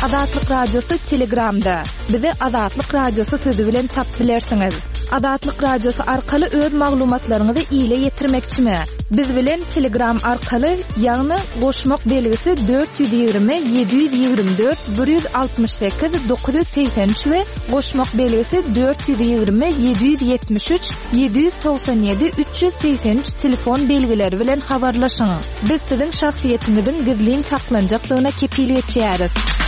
Azatlyk Radiosy Telegramda. Bizi Azatlyk Radiosy sözi bilen tapyp bilersiňiz. Azatlyk Radiosy arkaly öz maglumatlaryňyzy ile ýetirmekçimi? Biz bilen Telegram arkaly, ýagny goşmak belgisi 420 724 168 983 we goşmak belgisi 420 773 797 383 telefon belgileri bilen habarlaşyň. Biz siziň şahsyýetiňiziň gizlin saklanjakdygyna kepil geçýäris.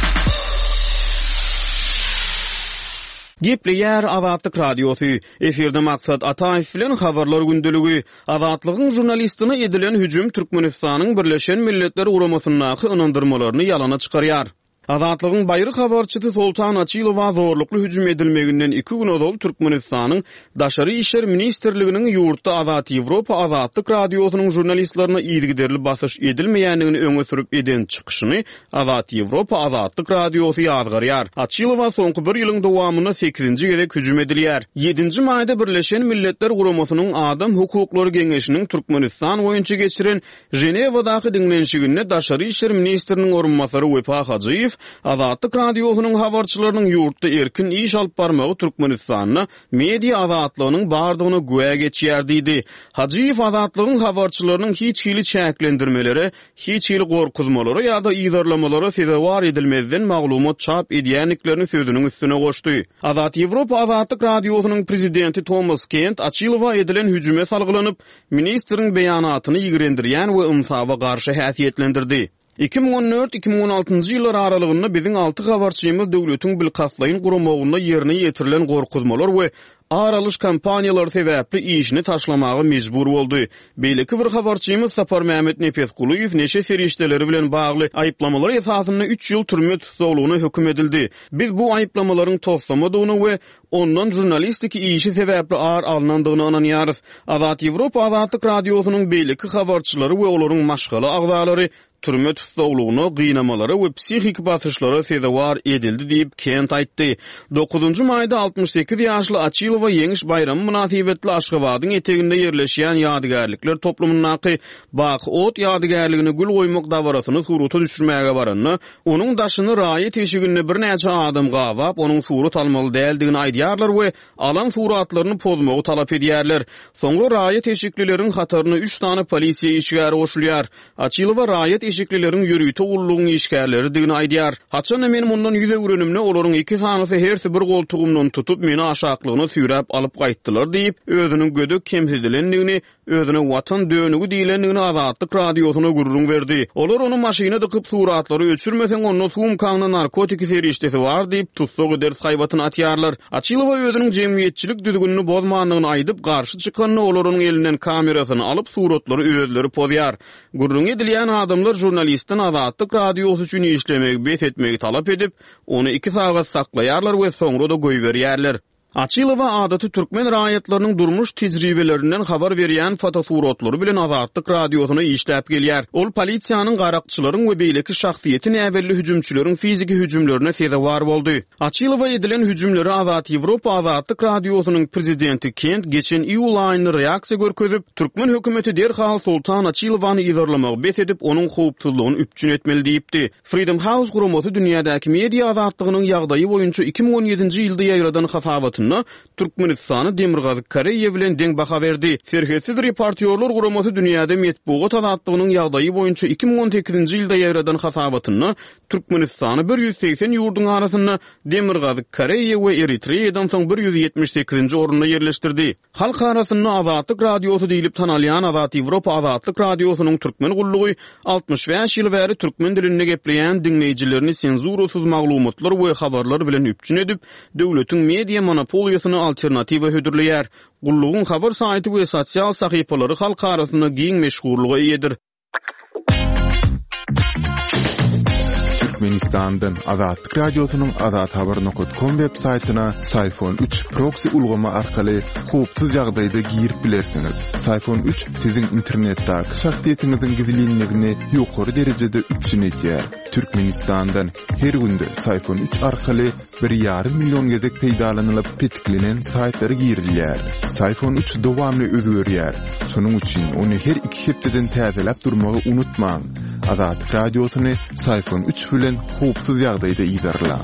Gepleýär Azatlyk Radiosy, Efirde Maksat Ataýew bilen Habarlar gündeligi. Azatlygyň žurnalistine edilen hüjüm Türkmenistanyň Birleşen Milletler Guramasyndaky ynandyrmalaryny ýalana çykarýar. Azatlygyň baýry habarçysy Soltan Açylowa zorlukly hüjüm edilmeginden iki gün ozal Türkmenistanyň Daşary işler ministrliginiň ýurtda Azat Ýewropa Azatlyk Radiosynyň žurnalistlerine yzygiderli basyş edilmeýändigini öňe sürüp eden çykyşyny Azat Ýewropa Azatlyk Radiosy ýazgarýar. Açylowa soňky bir ýylyň dowamynda sekizinji gezek hüjüm edilýär. Ýedinji maýda Birleşen Milletler Guramasynyň Adam hukuklary geňeşiniň Türkmenistan boýunça geçiren Ženewadaky diňlenişiginde daşary işler ministriniň orunbasary Wepa Hajyýew Azatlyk Radiosynyň habarçylarynyň ýurtda erkin iş alyp barmagy Türkmenistanda media azatlygynyň bardygyna güwä geçýär diýdi. Hajyýew Azatlygyň habarçylarynyň hiç hili çäklendirmelere, hiç hili gorkuzmalara ýa-da yzarlamalara sezewar edilmezden maglumat çap edýändiklerini sözüniň üstüne goşdy. Azat Ýewropa Azatlyk Radiosynyň prezidenti Tomas Kent Açylowa edilen hüjüme salgylanyp, Ministriň beýanatyny ýigrendirýän we ynsaba garşy häsiýetlendirdi. 2014, 2016-njy ýyllar aralygynda biziň alty habarçymyz döwletiň bilkastlaýyn guramagynda ýerine ýetirilen gorkuzmalar we ar alyş kampaniýalary sebäpli işini taşlamaga mejbur boldy. Beýleki bir habarçymyz Saparmämmet Nepesgulyýew neşe serişdeleri bilen bagly aýyplamalar esasynda üç ýyl türme tussaglygyna höküm edildi. Biz bu aýyplamalaryň toslamadygyna we Ondan žurnalistiki işi sebäpli ar alnandygyna ynanýarys. Azat Ýewropa Azatlyk Radiosynyň beýleki habarçylary we olaryň maşgala agzalary türme tussaglygyna, gynamalara we psihiki basyşlara sezewar edildi diýip, Kent aýtdy. Dokuzynjy maýda 68 ýaşly Açylowa Ýeňiş baýramy mynasybetli Aşgabadyň eteginde ýerleşýän ýadygärlikler toplumyndaky Baky ot ýadygärligine gül goýmak dabarasyny surata düşürmäge baranda, Onuň daşyny raýat eşiginde birnäçe adam gabap, onuň surat almaly däldigini aýdýarlar we alan suratlaryny pozmagy talap edýärler. Soňra raýat eşiklileriň hataryna üç sany polisiýa işgäri goşulýar. Açylowa raýat eşiklileriň ýörite gullugyň işgärleridigini aýdýar. Haçan-da men mundan ýüz öwrenimde, olaryň iki sanysy hersi bir goltugymdan tutup, meni aşaklygyna süýräp alyp gaýtdylar diýip, özüniň gödek kemsidilendigini Özüne Watan dönügi diýlendigini Azatlyk Radiosyna gürrüň berdi. Olar ony maşyna dykyp, suratlary öçürmeseň, onda sumkaňda narkotiki serişdesi bar diýip, tussag ederis haýbatyny atýarlar. Açylowa özüniň jemgyýetçilik düzgünini bozmandygyny aýdyp, garşy çykanda, olar onuň elinden kamerasyny alyp, suratlary özleri pozýar. Gürrüňi edilýän adamlar žurnalistden Azatlyk Radiosy üçin işlemegi bes etmegi talap edip, ony iki sagat saklaýarlar we soňra-da goýberýärler. Açylowa adaty türkmen raýatlarynyň durmuş tejribelerinden habar berýän fotosuratlary bilen Azatlyk Radiosyna işläp gelýär. Ol polisiýanyň, garakçylaryň we beýleki şahsyýeti näbelli hüjümçileriň fiziki hüjümlerine sezewar boldy. Açylowa edilen hüjümlere Azat Ýewropa Azatlyk Radiosynyň prezidenti Kent geçen iýul aýynda reaksiýa görkezip, türkmen hökümeti derhal Soltan Açylowany yzarlamagy bes edip, onuň howpsuzlygyny üpjün etmeli diýipdi. Freedom House guramasy dünýädäki media azatlygynyň ýagdaýy boýunça 2017-nji ýylda ýaýradan hasabatynda Türkmenistana Demirgazyk Koreýa bilen deň baha berdi. Serhetsiz reportýorlar guramasy dünýäde metbugat azatlygynyň ýagdaýy boýunça 2018-nji ýylda ýaýradan hasabatynda Türkmenistany 180 ýurduň arasynda Demirgazyk Koreýa we Eritreýadan soň 178-nji orunda ýerleşdirdi. Halk arasynda Azatlyk Radiosy diýlip tanalýan Azat Ýewropa Azatlyk Radiosynyň türkmen gullugy 65 ýyl bäri türkmen dilinde gepleýän diňleýjilerini senzurasyz maglumatlar we habarlar bilen üpjün edip, döwletiň media monopoliýasyna alternatiwa hödürleýär. Gullugyň habar saýty we sosial sahypalary halk arasynda giň meşhurlyga eýedir. Türkmenistandan Azatlyk Radiosynyň azathabar nokat kom web saýtyna Syfon 3 proksi ulgamy arkaly howpsuz ýagdaýda girip bilersiňiz. Syfon 3 siziň internetdäki şahsyýetiňiziň gizlinligini ýokary derejede üpjün edýär. Türkmenistandan her günde Syfon 3 arkaly Bir ýarym million gezek peýdalanylyp petiklenen saýtlara girilýär. Syfon 3 dowamly özgerýär. Şonuň üçin ony her iki hepdeden täzeläp durmagy unutmaň. Azatlyk Radiosyny Syfon üç bilen howpsuz ýagdaýda yzarlaň.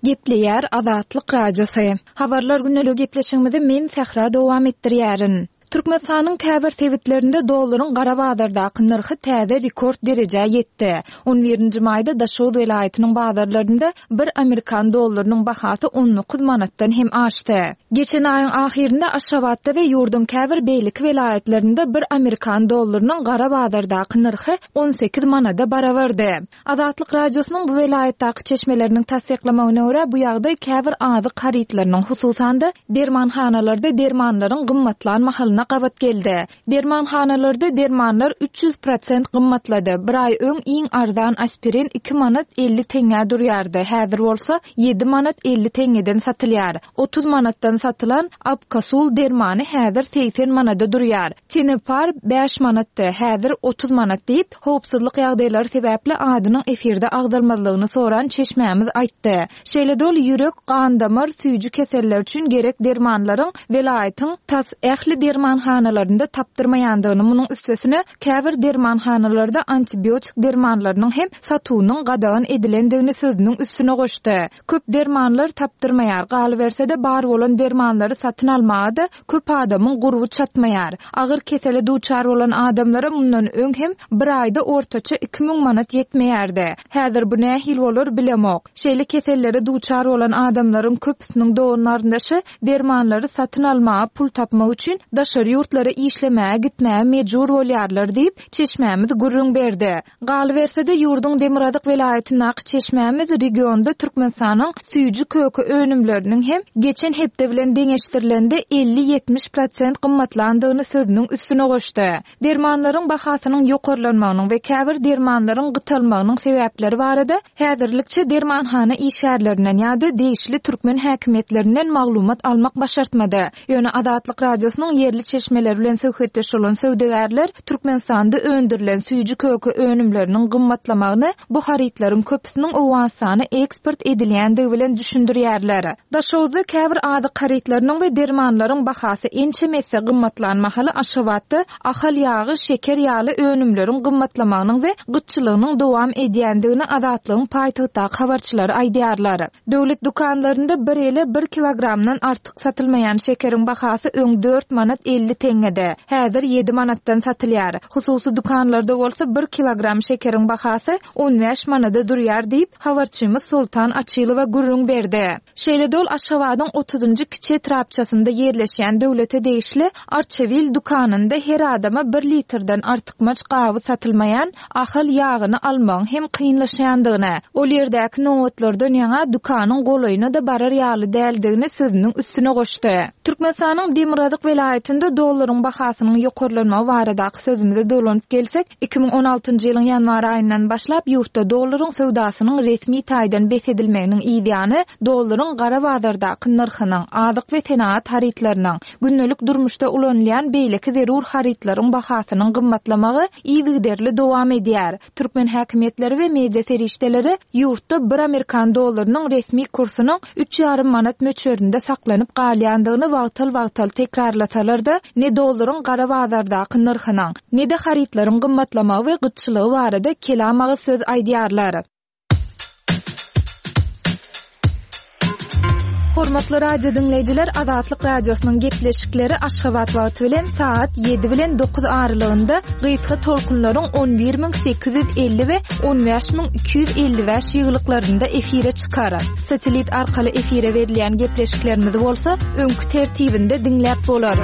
Gepleýär Azatlyk Radiosy. Habarlar gündeligi gepleşigimizi men Sähra dowam etdirýärin. Türkmenistanyň käbir sebitlerinde dollaryň gara bazardaky nyrhy täze rekord derejä ýetdi. On birinji maýda Daşoguz welaýatynyň bazarlarynda bir amerikan dollarynyň bahasy 19 manatdan hem aşdy. Geçen aýyň ahyrynda Aşgabatda we ýurduň käbir beýleki welaýatlarynda bir amerikan dollarynyň gara bazardaky nyrhy 18 manada barabardy. Azatlyk Radiosynyň bu welaýatdaky çeşmeleriniň tassyklamagyna görä, bu ýagdaý käbir azyk harytlarynyň, hususan-da, dermanhanalarda dermanlaryň gymmatlan mahalyna gabat geldi. Dermanhanalarda dermanlar 300 prosent gymmatlady. Bir aý öň iň arzan aspirin iki manat 50 teňňä durýardy, häzir bolsa ýedi manat 50 teňňeden satylýar. 30 manatdan satylan Abkasul dermany häzir 80 manada durýar. Tenepar bäş manatdy, häzir 30 manat diýip, Howpsuzlyk ýagdaýlary sebäpli adynyň efirde agzalmazlygyny soran çeşmämiz aýtdy. Şeýle-de ol ýürek, gan-damar, süýji keseller üçin gerek dermanlaryň welaýatyň tas ähli dermanhanalarynda tapdyrmaýandygyny, munuň üstesine, käbir dermanhanalarda antibiotik dermanlarynyň hem satuwynyň gadagan edilendigini sözüniň üstüne goşdy. Köp dermanlar tapdyrmaýar, galyberse-de bar bolan dermanlary satyn almaga-da köp adamyň gurby çatmaýar. Agyr kesele duçar bolan adamlara mundan öň hem bir aýda ortaça 2000 manat ýetmeýärdi. Häzir bu nähili bolar bilemok. Şeýle kesellere duçar bolan adamlaryň köpüsiniň dogan-garyndaşy dermanlary satyn almaga pul tapmak üçin daşary ýurtlara işlemäge gitmäge mejbur bolýarlar diýip, çeşmämiz gürrüň berdi. Galyberse-de, ýurduň demirgazyk welaýatyndaky çeşmämiz regionda Türkmenistanyň süýji-köke önümleriniň hem geçen hepde bilen deňeşdirilende 50-70 prosent gymmatlandygyny sözüniň üstüne goşdy. Dermanlaryň bahasynyň ýokarlanmagynyň we käbir dermanlaryň gytalmagynyň sebäpleri barada häzirlikçe dermanhana işgärlerinden ýa-da degişli türkmen häkimiýetlerinden maglumat almak başartmady. Ýöne Azatlyk Radiosynyň ýerli çeşmeleri bilen söhbetdeş bolan söwdagärler Türkmenistanda öndürilen süýji-köke önümleriniň gymmatlamagyny bu harytlaryň köpüsiniň Owganystana eksport edilýändigi bilen düşündirýärler. Daşoguzda käbir azyk harytlarynyň we dermanlaryň bahasy ençeme esse gymmatlan mahaly Aşgabatda Ahal ýagy, şeker ýaly önümleriň gymmatlamagynyň we gytçylygynyň dowam edýändigini Azatlygyň paýtagtdaky habarçylary aýdýarlar. Döwlet dükanlarynda bir ele bir kilogramdan artyk satylmaýan şekeriň bahasy öň dört manat 50 teňňedi, häzir ýedi manatdan satylýar. Hususy dükanlarda bolsa bir kilogram şekeriň bahasy on bäş manada durýar diýip, habarçymyz Soltan Açylowa gürrüň berdi. Şeýle-de ol Aşgabadyň otuzynjy kiçi etrapçasynda ýerleşýän döwlete degişli Arçabil dükanynda her adama bir litrden artykmaç gaby satylmaýan Ahal ýagyny almagyň hem kynlaşýandygyny, ol ýerdäki nobatlardan ýaňa dükanyň golaýyna-da barar ýaly däldigini sözüniň üstüne goşdy. Türkmenistanyň demirgazyk welaýatynda dollaryň bahasynyň ýokarlanmagy baradaky sözümize dolanyp gelsek, 2016-njy ýylyň ýanwar aýyndan başlap ýurtda dollaryň söwdasynyň resmi taýdan bes edilmeginiň yzýany dollaryň gara bazardaky nyrhynyň, azyk we senagat harytlarynyň, Gündelik durmuşda ulanylýan beýleki zerur harytlaryň bahasynyň gymmatlamagy yzygiderli dowam edýär. Türkmen häkimiýetleri we media serişdeleri ýurtda bir amerikan dollarynyň resmi kursunyň üç ýarym manat möçberinde saklanyp galýandygyny wagtal-wagtal tekrarlasalar-da, ne dollaryň gara bazardaky nyrhynyň, ne-de harytlaryň gymmatlamagy we gytçylygy barada kelam agyz söz aýdýarlar. Hormatly radio diňleýjiler, Azatlyk Radiosynyň gepleşikleri Aşgabat wagty bilen sagat 7 bilen 9 aralygynda gysga tolkunlaryň 11850 we 15255 ýygylyklarynda efire çykar. Satellit arkaly efire berilýän gepleşiklerimizi bolsa öňki tertibinde diňläp bolar.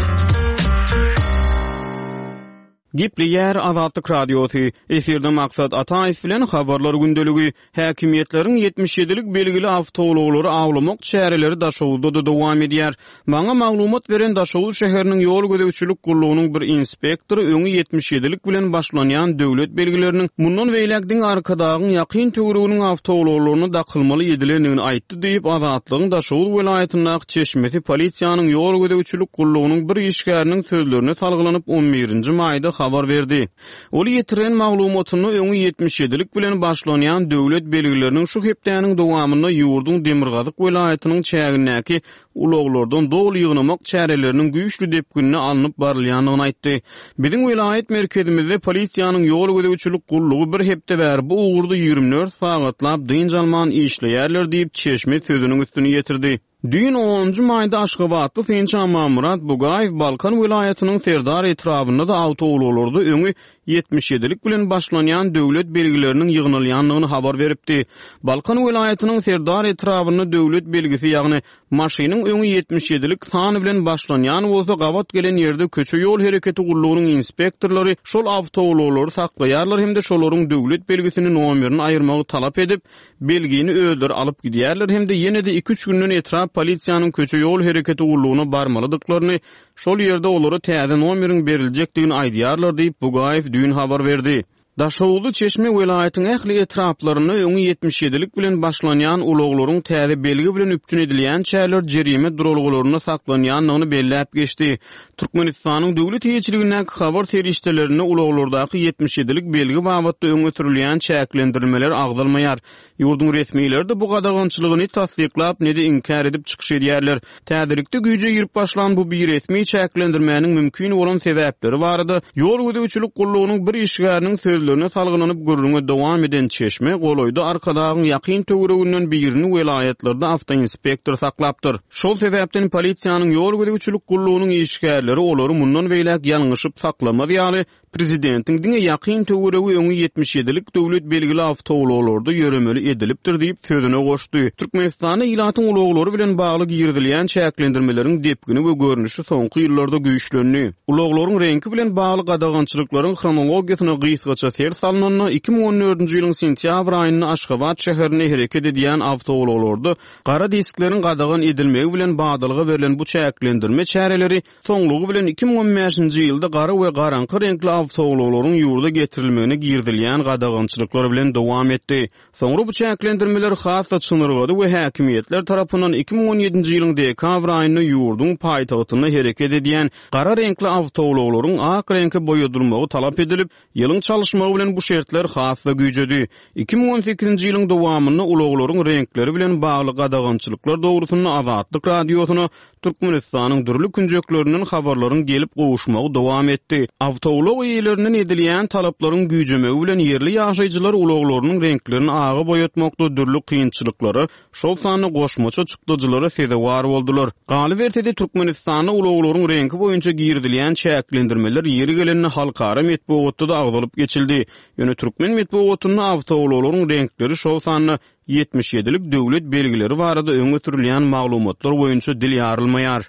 Gepleýär Azatlyk Radiosy, Efirde Maksat Ataýew bilen Habarlar gündeligi. Häkimiýetleriň 77-lik belgili awtoulaglary awlamak çäreleri Daşoguzda-da dowam edýär. Maňa maglumat beren Daşoguz şäheriniň ýol gözegçilik gullugynyň bir inspektory öňi 77-lik bilen başlanýan döwlet belgileriniň mundan beýläk diňe Arkadagyň ýakyn töwereginiň awtoulaglaryna dakylmaly edilendigini aýtdy diýip, Azatlygyň Daşoguz welaýatyndaky çeşmesi polisiýanyň ýol gözegçilik gullugynyň bir işgäriniň sözlerine salgylanyp, on birinji maýda. habar berdi. Ol ýetiren maglumatynda öňi ýetmiş ýedilik bilen başlanýan döwlet belgileriniň şu hepdäniň dowamynda ýurduň demirgazyk welaýatynyň çägindäki ulaglardan doly ýygnamak çäreleriniň güýçli depginde alnyp barylýandygyny aýtdy. Biziň welaýat merkezimizde polisiýanyň ýol gözegçilik gullugy bir hepde bäri bu ugurda 24 sagatlap dynç alman işleýärler diýip, çeşme sözüniň üstüni ýetirdi. Düýn onunjy maýda aşgabatly synçy Amanmyrat Bugaýew Balkan welaýatynyň Serdar etrabynda-da awtoulaglarda öňi ýetmiş ýedilik bilen başlanýan döwlet belgileriniň ýygnalýandygyny habar beripdi. Balkan welaýatynyň Serdar etrabynda döwlet belgisi, ýagny maşynyň öňi ýetmiş ýedilik san bilen başlanýan bolsa, gabat gelen ýerde köçe-ýol hereketi gullugynyň inspektorlary şol awtoulaglary saklaýarlar hem-de şolaryň döwlet belgisini nomerini aýyrmagy talap edip, belgini özleri alyp gidýärler hem-de ýene-de iki-üç günden etrap polisiýanyň köçe-ýol hereketi gullugyna barmalydyklaryny, şol ýerde olara täze nomeriň beriljekdigini aýdýarlar diýip, Bugaýew düýn habar berdi. Daşoguzly çeşme welaýatyň ähli etraplarynda öňi ýetmiş ýedilik bilen başlanýan ulaglaryň täze belgi bilen üpjün edilýänçäler jerime duralgalarynda saklanýandygyny belläp geçdi. Türkmenistanyň döwlet eýeçiligindäki habar serişdelerinde ulaglardaky ýetmiş ýedilik belgi babatda öňe sürülýän çäklendirilmeler agzalmaýar. Ýurduň resmileri-de bu gadagançylygy ne tassyklap, ne-de inkär edip çykyş edýärler. Täzelikde güýje girip başlan bu biresmi çäklendirmäniň mümkin bolan sebäpleri barada Ýol gözegçilik gullugynyň bir işgäriniň sözlerine salgylanyp gürrüňe dowam eden çeşme golaýda Arkadagyň ýakyn töwereginden birini welaýatlarda awtoinspektor saklapdyr. Şol sebäpden polisiýanyň ýol gözegçilik gullugynyň işgärleri olary mundan beýläk ýalňyşyp saklamaz ýaly, prezidentiň diňe ýakyn töweregi öňi ýetmiş ýedilik döwlet belgili awtoulaglarda ýöremeli edilipdir diýip, sözüne goşdy. Türkmenistanda ilatyň ulaglary bilen bagly girizilýän çäklendirmeleriň depgini we görnüşi soňky ýyllarda güýçlendi. Ulaglaryň reňki bilen bagly gadagançylyklaryň hronologiýasyna gysgaça ser salnanda, 2014-nji ýylyň sentýabr aýynda Aşgabat şäherinde hereket edýän awtoulaglarda Gara diskleriň gadagan edilmegi bilen badalga berlen bu çäklendirme çäreleri soňlugy bilen 2015-nji ýylda gara we garaňky reňkli awtoulaglaryň ýurda getirilmegine girizilýän gadagançylyklar bilen dowam etdi. Soňra bu çäklendirmeler has-da çynyrgady we häkimiýetler tarapyndan 2017-nji ýylyň dekabr aýynda ýurduň paýtagtynda hereket edýän gara reňkli awtoulaglaryň ak reňke boýadylmagy talap edilip, Ýylyň çalyşmagy bilen bu şertler has-da güýjedi. 2018-nji ýylyň dowamynda ulaglaryň reňkleri bilen bagly gadagançylyklar dogrusynda Azatlyk Radiosyna Türkmenistanyň dürli künjeklerinden habarlaryň gelip gowuşmagy dowam etdi. Awtoulag eýelerinden edilýän talaplaryň güýjemegi bilen ýerli ýaşaýjylar ulaglarynyň reňklerini aga boýatmakda dürli kynçylyklara şol sanda goşmaça çykdajylara sezewar boldular. Galyberse-de, Türkmenistanda ulaglaryň reňki boýunça girizilýän çäklendirmeler ýeri gelende halkara metbugatda-da agzalyp geçildi. Ýöne türkmen metbugatynda awtoulaglaryň reňkleri, şol sanda ýetmiş ýedilik döwlet belgileri barada öňe sürülýän maglumatlar boýunça dil ýarylmaýar.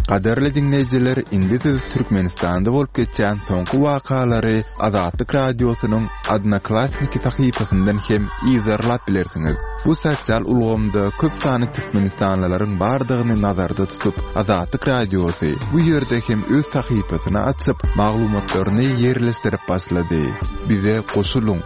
Gadyrly diňleýjiler, indi siz Türkmenistanda bolup geçýän soňky wakalary Azatlyk Radiosynyň Odnoklassniki sahypasyndan hem yzarlap bilersiňiz. Bu sosial ulgamda köp sanly türkmenistanlylaryň bardygyny nazarda tutup, Azatlyk Radiosy bu ýerde hem öz sahypasyny açyp, maglumatlaryny ýerleşdirip başlady. Bize goşulyň!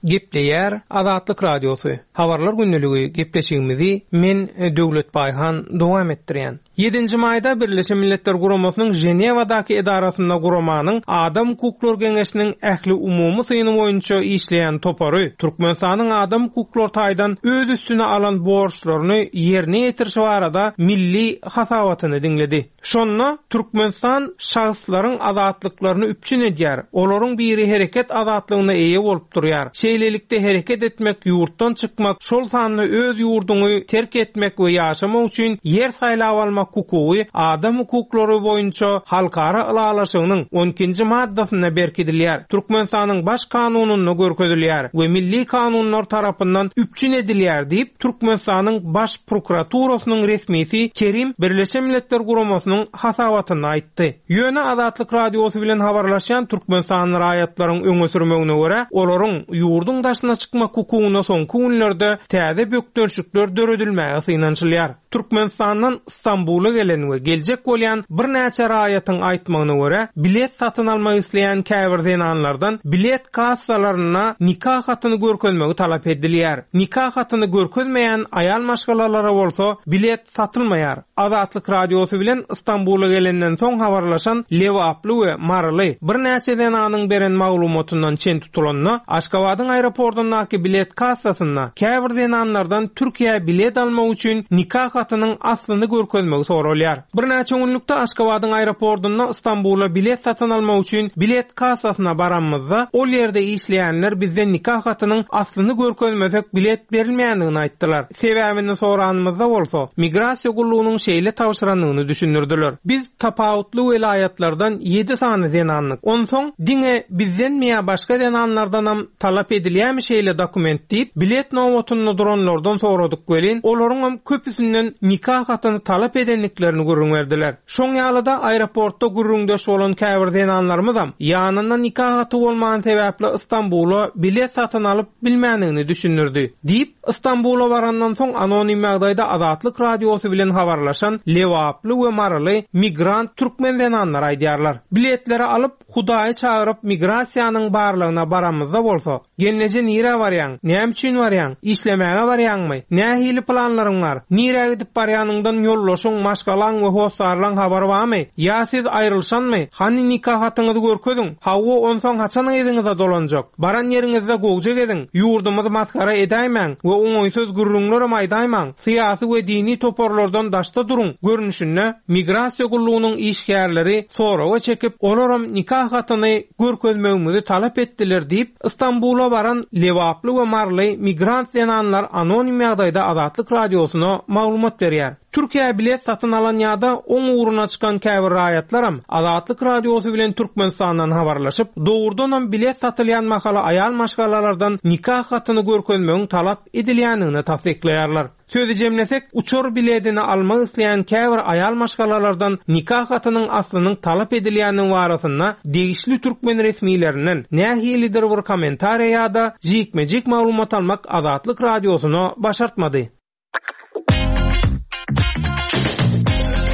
Gepleýär Azatlyk Radiosy, Habarlar gündeligi gepleşigimizi men Döwlet Baýhan dowam etdirýän. Ýedinji maýda Birleşen Milletler Guramasynyň Ženewadaky edarasynda guramanyň Adam hukuklary geňeşiniň ähliumumy syny boýunça işleýän topary Türkmenistanyň adam hukuklary taýdan öz üstüne alan borçlaryny ýerine ýetirişi barada milli hasabatyny diňledi. Şonda Türkmenistan şahslaryň azatlyklaryny üpjün edýär, olaryň biri hereket azatlygyna eýe bolup durýar. Şeýlelikde hereket etmek, ýurtdan çykmak, şol sanda öz ýurduňy terk etmek we ýaşamak üçin ýer saýlap almak hukugy adam hukuklary boýunça halkara ylalaşygynyň on ikinji maddasynda berkidilýär, Türkmenistanyň Baş Kanunynda görkezilýär we milli kanunlar tarapyndan üpjün edilýär diýip, Türkmenistanyň Baş prokuraturasynyň resmisi Kerim Birleşen Milletler Guramasynyň hasabatynda aýtdy. Ýöne Azatlyk Radiosy bilen habarlaşýan türkmenistanly raýatlaryň öňe sürmegine görä, olaryň ýurduň daşyna çykmak hukugyna soňky günlerde täze bökdençlikler döredilmäge synanyşylýar. Türkmenistandan Stambula gelen we geljek bolýan birnäçe raýatyň aýtmagyna görä, bilet satyn almak isleýän käbir zenanlardan bilet kassalarynda nika hatyny görkezmegi talap edilýär. Nika hatyny görkezmeýän aýal maşgalalara bolsa bilet satylmaýar. Azatlyk Radiosy bilen Stambula gelenden soň habarlaşan lebaply we maryly birnäçe zenanyň beren maglumatyndan çen tutulanda, Aşgabadyň aeroportyndaky bilet kassasynda käbir zenanlardan Türkiýä bilet almak üçin nika hatynyň aslyny görkezmegi soralýar. Birnäçe günlükde Aşgabadyň aeroportynda Stambula bilet satyn almak üçin bilet kassasyna baranymyzda, ol ýerde işleýänler bizden nika hatynyň aslyny görkezmesek bilet berilmeýändigini aýtdylar. Sebäbini soranymyzda bolsa, migrasiýa gullugynyň şeýle tabşyrandygyny düşündirdiler. Biz tapawutly welaýatlardan ýedi sany zenandyk. Onsoň, diňe bizdenmi ýa başga zenanlardanam talap edilýärmi şeýle dokument diýip, bilet nobatynda duranlardan soradyk welin, olaryňam köpüsinden nika hatyny talap edendiklerini gürrüň berdiler. Şoň ýaly-da aeroportda gürrüňdeş bolan käbir zenanlarymyzam, ýanynda nika haty bolmany sebäpli Stambula bilet satyn alyp bilmändigini düşündirdi. Diýip, Stambula barandan soň anonim ýagdaýda Azatlyk Radiosy bilen habarlaşan lebaply we maryly migrant türkmen zenanlary aýdýarlar. Biletleri alyp, Hudaýy çagyryp migrasiýanyň barlagyna baramyzda bolsa, Gelneje nirä barýaň? Näme üçin barýaň? Işlemäge barýaňmy? Nähili planlaryň bar? Nirä gidip barýanyňdan ýoldaşyň, maşgalaň we hossarlaň habary barmy? Ýa siz aýrylşanmy? Hany nika hatyňyzy görkeziň? Hawa, onsoň haçan yzyňyza dolanjak? Baran ýeriňizde gowja geziň, ýurdumyzy masgara edäýmäň we oňaýsyz gürrüňlerem aýdaýmaň, syýasy we dini toparlardan daşda duruň görnüşinde migrasiýa gullugynyň işgärleri soraga çekip, olaram nika hatyny görkezmegimizi talap etdiler diýip, Stambula baran lebaply we maryly migrant zenanlar anonim ýagdaýda Azatlyk Radiosyna maglumat berýär. Türkiýä bilet satyn alan ýa-da oň ugruna çykan käbir raýatlaram Azatlyk Radiosy bilen Türkmenistandan habarlaşyp, dogrudanam bilet satylýan mahaly aýal maşgalalardan nika hatyny görkezmegiň talap edilýändigini tassyklaýarlar. Sözi jemlesek, uçar biledini almak isleýän käbir aýal maşgalalardan nika hatynyň aslynyň talap edilýändigi barasynda degişli türkmen resmilerinden nähilidir bir kommentariýa ýa-da jikme-jik maglumat almak Azatlyk Radiosyna başartmady.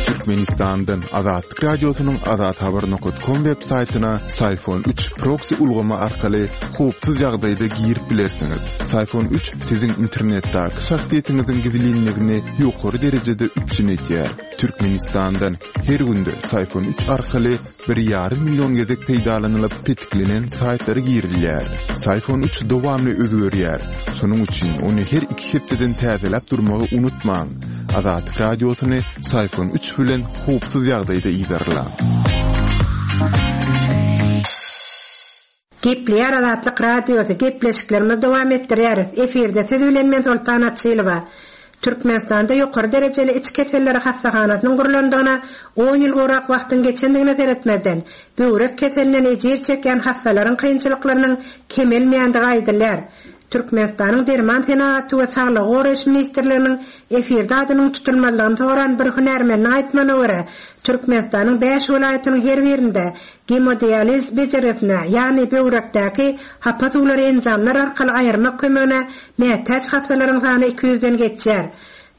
Türkmenistandan Azatlyk Radiosynyň azathabar nokat kom web saýtyna Syfon üç proksi ulgamy arkaly howpsuz ýagdaýda girip bilersiňiz. Syfon üç siziň internetdäki şahsyýetiňiziň gizlinligini ýokary derejede üpjün edýär. Türkmenistandan her günde Syfon üç arkaly bir ýarym million gezek peýdalanylyp petiklenen saýtlara girilýär. Syfon üç dowamly özgerýär. Şonuň üçin ony her iki hepdeden täzeläp durmagy unutmaň. Azatlyk Radiosyny Syfon üç bilen howpsuz ýagdaýda yzarlaň. Gepleýär Azatlyk Radiosy, gepleşiklerimizi dowam etdirýäris. Efirde siz bilen men Soltan Açylowa. Türkmenistanda ýokary derejeli iç keselleri hassahanasynyň gurlandygyna on ýyl gowrak wagtyň geçendigine seretmezden, böwrek keselinden ejir çekýän hassalaryň kynçylyklarynyň kemelmeýändigi aýdylýar. Türkmenistanyň Derman senagaty we saglygy goraýyş ministrliginiň efirde adynyň tutulmazlygyny soran bir hünärmeniniň aýtmagyna görä, Türkmenistanyň bäş welaýatynyň her birinde gemodializ bejergisine, ýagny böwrekdäki hapa suwlary enjamlar arkaly aýyrmak kömegine mätäç hassalaryň sany 200-den geçýär.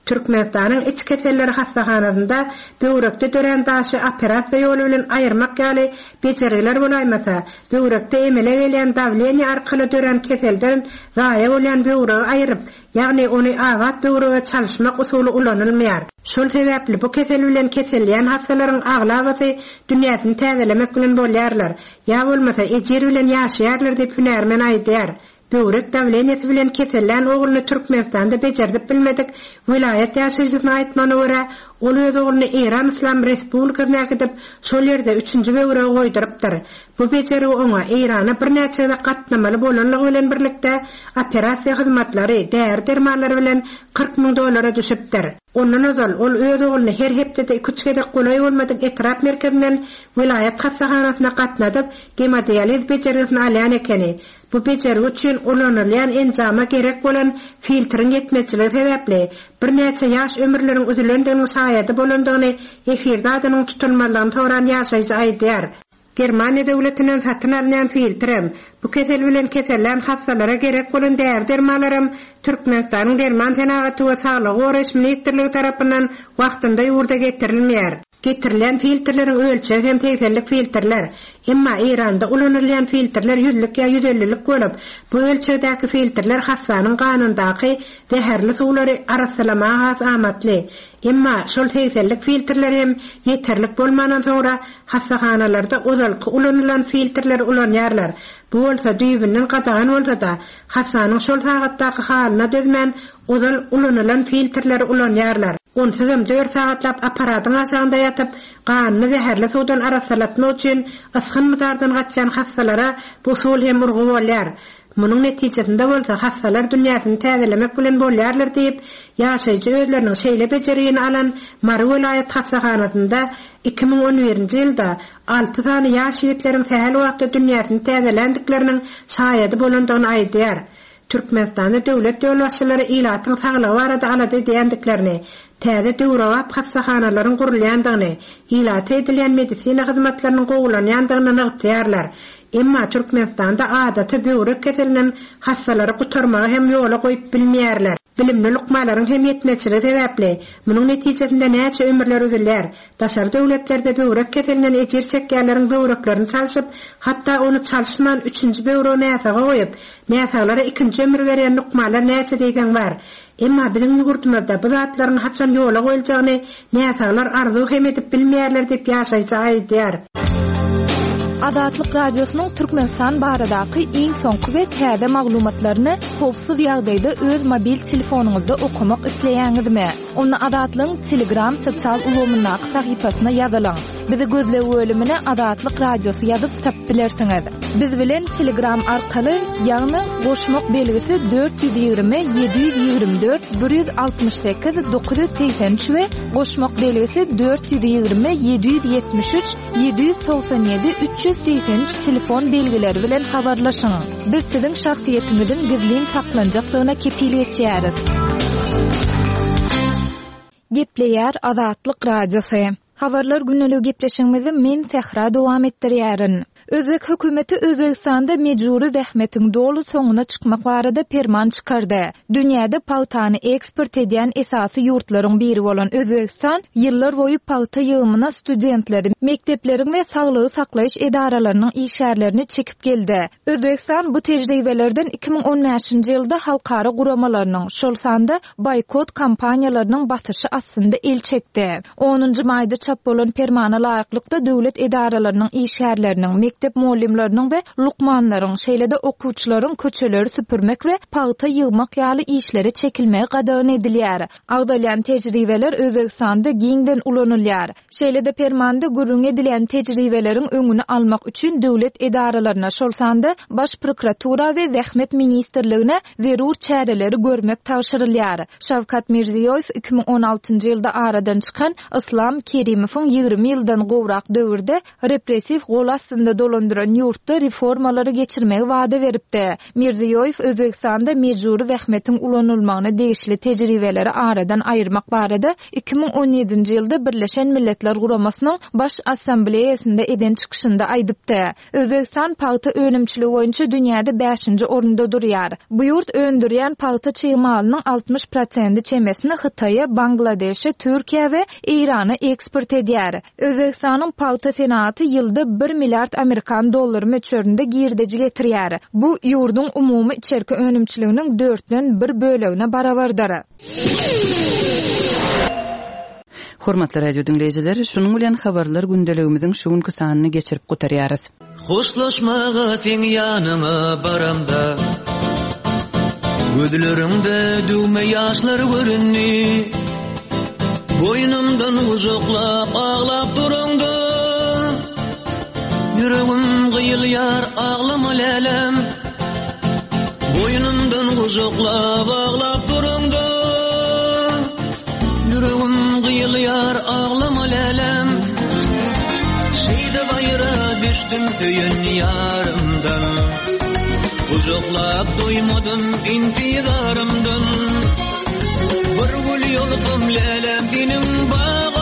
Türkmenistanyň iç keselleri hassahanasynda böwrekde dörän daşy operasiýa ýoly bilen aýyrmak ýaly bejergiler bolaýmasa, böwrekde emele gelýän dawleniýe arkaly dörän keselden zaýa bolýan böwregi aýryp, ýagny ony abat böwrege çalyşmak usuly ulanylmaýar. Şol sebäpli bu kesel bilen keselleýän hassalaryň aglabasy dünýäsini täzelemek bilen bolýarlar, ýa bolmasa ejir bilen ýaşaýarlar diýip hünärmen aýdýar. Böwrek dawleniýesi bilen kesellän ogluny Türkmenistanda bejerdip bilmedik welaýat ýaşaýjysynyň aýtmagyna görä, ol öz ogluny Eýran Yslam Respublikasyna äkidip, şol ýerde üçünji böwregi goýdurypdyr. Bu bejergi oňa Eýrana birnäçe gezek gatnamaly bolanlygy bilen birlikde, operasiýa hyzmatlary, däri-dermanlary bilen 40 müň dollara düşüpdir. Ondan ozal, ol öz ogluny her hepdede iki-üç gezek golaý bolmadyk etrap merkezinden welaýat hassahanasyna gatnadyp, gemodializ bejergisini alýan ekeni. Bu bejergi üçin ulanylýan enjama gerek bolan filtriň ýetmezçiligi sebäpli, birnäçe ýaş ömürleriň üzülendiginiň şaýady bolandygyny efirde adynyň tutulmazlygyny soran ýaşaýjy aýdýar. Germaniýa döwletinden satyn alynýan filtrem, Bu kesel bilen kesellän hassalara gerek bolan däri-dermanlaram Türkmenistanyň Derman senagaty we saglygy goraýyş ministrligi tarapyndan wagtynda ýurda getirilmeýär. Getirilýän filtrleriň ölçegi hem segsenlik filtrler. Emma Eýranda ulanylýan filtrler ýüzlük ýa ýüzellilik bolup, bu ölçegdäki filtrler hassanyň ganyndaky zäherli suwlary arassalamaga has amatly. Emma şol segsenlik filtrler hem ýeterlik bolmandan soňra hassahanalarda ozalky ulanylan filtrleri ulanýarlar. Bu bolsa düýbünden gadagan bolsa-da, hassanyň şol sagatdaky halyna dözmän ozal ulanylan filtrleri ulanýarlar. Onsuzam dört sagatlap apparatyň aşagynda ýatyp, ganyny zäherli suwdan arassalatmak üçin ysgyn-mydardan gaçýan hassalara bu usul hem urgy bolýar. Munuň netijesinde bolsa hassalar dünýäsini täzelemek bilen bolýarlar diýip, ýaşaýjy özleriniň şeýle bejergini alan Mary welaýat hassahanasynda 2011-nji ýylda alty sany ýaş ýigitleriň sähel wagtda dünýäsini täzeländikleriniň şaýady bolandygyny aýdýar. Türkmenistanda döwlet ýolbaşçylary ilatyň saglygy barada alada edýändiklerini, täze döwrebap hassahanalaryň gurulýandygyny, ilata edilýän medisina hyzmatlarynyň gowulanýandygyny nygtaýarlar. Emma Türkmenistanda adaty böwrek keselinden hassalary gutarmagy hem ýola goýup bilmeýärler. Bilimli lukmalaryň hem ýetmezçiligi sebäpli, munuň netijesinde näçe ömürler üzülýär. Daşary döwletlerde böwrek keselinden ejir çekýänleriň böwreklerini çalşyp, hatda ony çalyşman üçünji böwregi näsaga goýup, näsaglara ikinji ömür berýän lukmanlar näçe diýseň bar. Emma biziň ýurdumyzda bu zatlaryň haçan ýola goýuljagyny näsaglar arzuw hem edip bilmeýärler diýip ýaşaýjy aýdýar. Azatlyk Radiosynyň Türkmenistan baradaky iň soňky we täze maglumatlaryny howpsuz ýagdaýda öz mobil telefonyňyzda okamak isleýäňizmi? Onda Azatlygyň Telegram sosial ulgamyndaky sahypasyna ýazylyň. Bizi gözleg bölümine Azatlyk Radiosy ýazyp tapyp bilersiňiz. Biz bilen Telegram arkaly, ýagny goşmak belgisi 420 724 168 983 we goşmak belgisi 420 773 797 383 telefon belgileri bilen habarlaşyň. Biz siziň şahsyýetiňiziň gizlin saklanjakdygyna kepil geçýäris. Gepleýär Azatlyk Radiosy. Habarlar gündeligi gepleşigimizi men Sähra dowam etdirýärin. Özbek hökümeti Özbegistanda mejbury zähmetiň doly soňuna çykmak barada perman çykardy. Dünýäde pagtany eksport edýän esasy ýurtlaryň biri bolan Özbegistan ýyllar boýy pagta ýygymyna studentleri, mekdepleriň we saglygy saklaýyş edaralarynyň işgärlerini çekip geldi. Özbegistan bu tejribelerden 2015-nji ýylda halkara guramalarynyň, şol sanda boýkot kampaniýalarynyň basyşy astynda el çekdi. Onunjy maýda çap bolan permana laýyklykda, döwlet edaralarynyň işgärleriniň, mekdep mugallymlarynyň we lukmanlaryň, şeýle-de okuwçylaryň köçeleri süpürmek we pagta ýygmak ýaly işlere çekilmegi gadagan edilýär. Agzalýan tejribeler Özbegistanda giňden ulanylýar. Şeýle-de permanda gürrüňi edilýän tejribeleriň öňüni almak üçin döwlet edaralaryna, şol sanda Baş prokuratura we Zähmet ministrligine zerur çäreleri görmek tabşyrylýar. Şawkat Mirziýoýew 2016-njy ýylda aradan çykan Yslam Kerimowyň 20 ýyldan gowrak döwürde repressiw gol astynda dolandyran ýurtda reformalary geçirmegi wada beripdi. Mirziýoýew Özbegistanda mejbury zähmetiň ulanylmagyna degişli tejribeleri aradan aýyrmak barada 2017-nji ýylda Birleşen Milletler Guramasynyň Baş Assambleýasynda eden çykyşynda aýdypdy. Özbegistan pagta önümçiligi boýunça dünýäde bäşinji orunda durýar. Bu ýurt öndürýän pagta çig malynyň 60 prosendi çemesini Hytaýa, Bangladeşe, Türkiýä we Eýrana eksport edýär. Özbegistanyň pagta senagaty ýylda bir milliard amerikan dollary möçberinde girdeji getirýär. Bu, ýurduň umumy içerki önümçiliginiň dörtden bir bölegine barabardyr. Hormatly radio diňleýjiler, şunuň bilen habarlar gündeligimiziň şu günki sanyny geçirip gutarýarys. Hoşlaşmaga seň ýanyňa baramda Gözleriňde düwme ýaşlar göründi Boýnumdan gujaklap aglap duraňda Ýüregim gyýylýar aglama lälem Boýnumdan gujaklap aglap duraňda Ýüregim gyýylýar aglama lälem Şeýdip aýra düşdüm söýen ýarymdan Gujaklap doýmadym intizarymdan Bir gül ýolsam lälem seniň bagyňdan.